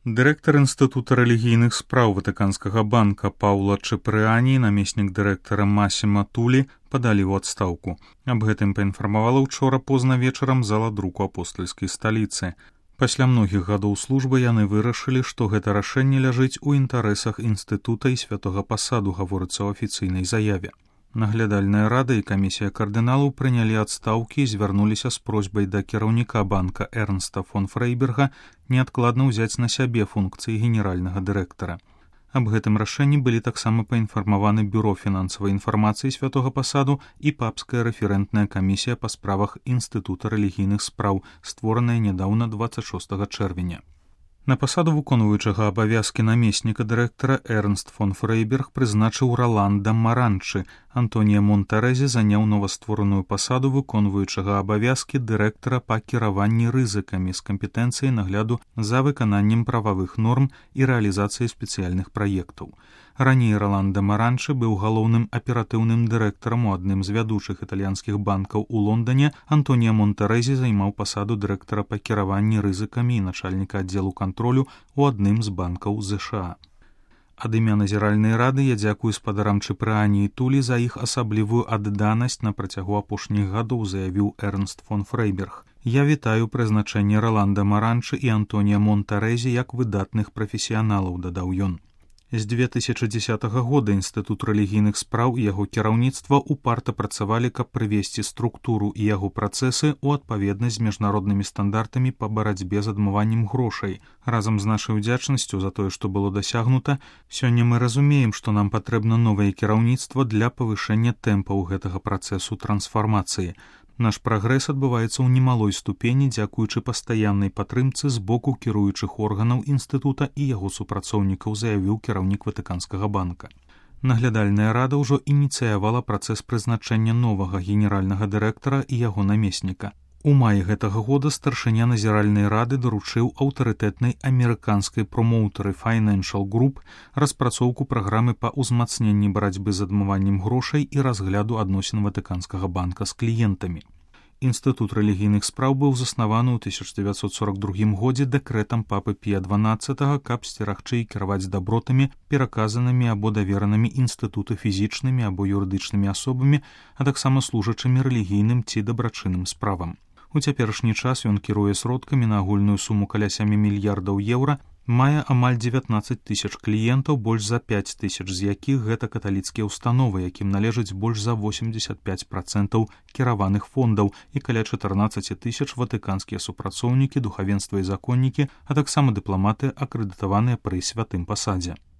Дырэктар Інстытута рэлігійных спраў Ватыканскага банка Паўла Чепрыані і намеснік дырэктара Масіма Тулі падалі ў адстаўку. Аб гэтым паінфармавала ўчора позна вечарам зала друку апостальскай сталіцы. Пасля многіх гадоў службы яны вырашылі, што гэта рашэнне ляжыць у інтарэсах інстытута і святога пасаду, гаворыцца ў афіцыйнай заяве. Наглядальная рада і камісія кардыналаў прынялі адстаўкі і звярнуліся з просьбай да кіраўніка банка Эрнста фон Фрейберга неадкладна ўзяць на сябе функцыі генеральнага дырэктара. Аб гэтым рашэнні былі таксама паінфармаваны бюро фінансавай інфармацыі святога пасаду і папская рэферэнтная камісія па справах Інстытута рэлігійных спраў, створаная нядаўна 26 чэрвеня. На пасаду выконваючага абавязкі намесніка дырэктара Эрнст фон Фрейберг прызначыў Роланда Маранчы. Антонія Монтарэзі заняў новаствораную пасаду выконваючага абавязкі дырэктара па кіраванні рызыкамі з кампетэнцыяй нагляду за выкананнем прававых норм і рэалізацыяй спецыяльных праектаў. Раней Роланда Маранчы быў галоўным аператыўным дырэктарам у адным з вядучых італьянскіх банкаў у Лондане. Антонія Монтарэзі займаў пасаду дырэктара па кіраванні рызыкамі і начальніка аддзелу кантролю у адным з банкаў ЗША. Ад імя назіральнай рады я дзякую спадарам Чепрыані і Тулі за іх асаблівую адданасць на працягу апошніх гадоў, заявіў Эрнст фон Фрейберг. Я вітаю прызначэнне Роланда Маранчы і Антонія Монтарэзі як выдатных прафесіяналаў, дадаў ён. З 2010 года Інстытут рэлігійных спраў і яго кіраўніцтва упарта працавалі, каб прывесці структуру і яго працэсы ў адпаведнасць з міжнароднымі стандартамі па барацьбе з адмываннем грошай. Разам з нашай удзячнасцю за тое, што было дасягнута, сёння мы разумеем, што нам патрэбна новае кіраўніцтва для павышэння тэмпаў гэтага працэсу трансфармацыі. Наш прагрэс адбываецца ў немалой ступені дзякуючы пастаяннай падтрымцы з боку кіруючых органаў інстытута і яго супрацоўнікаў, заявіў кіраўнік Ватыканскага банка. Наглядальная рада ўжо ініцыявала працэс прызначэння новага генеральнага дырэктара і яго намесніка. У маі гэтага года старшыня назіральнай рады даручыў аўтарытэтнай амерыканскай промоўтары Financial Group распрацоўку праграмы па ўзмацненні барацьбы з адмываннем грошай і разгляду адносін Ватыканскага банка з кліентамі. Інстытут рэлігійных спраў быў заснаваны ў 1942 годзе дэкрэтам папы Пія XII, каб сцерагчы і кіраваць дабротамі, пераказанымі або даверанымі інстытуту фізічнымі або юрыдычнымі асобамі, а таксама служачымі рэлігійным ці дабрачынным справам. У цяперашні час ён кіруе сродкамі на агульную суму каля 7 мільярдаў еўра, мае амаль 19 тысяч кліентаў, больш за 5 тысяч з якіх гэта каталіцкія ўстановы, якім належыць больш за 85% кіраваных фондаў і каля 14 тысяч ватыканскія супрацоўнікі, духавенства і законнікі, а таксама дыпламаты, акрэдытаваныя пры святым пасадзе.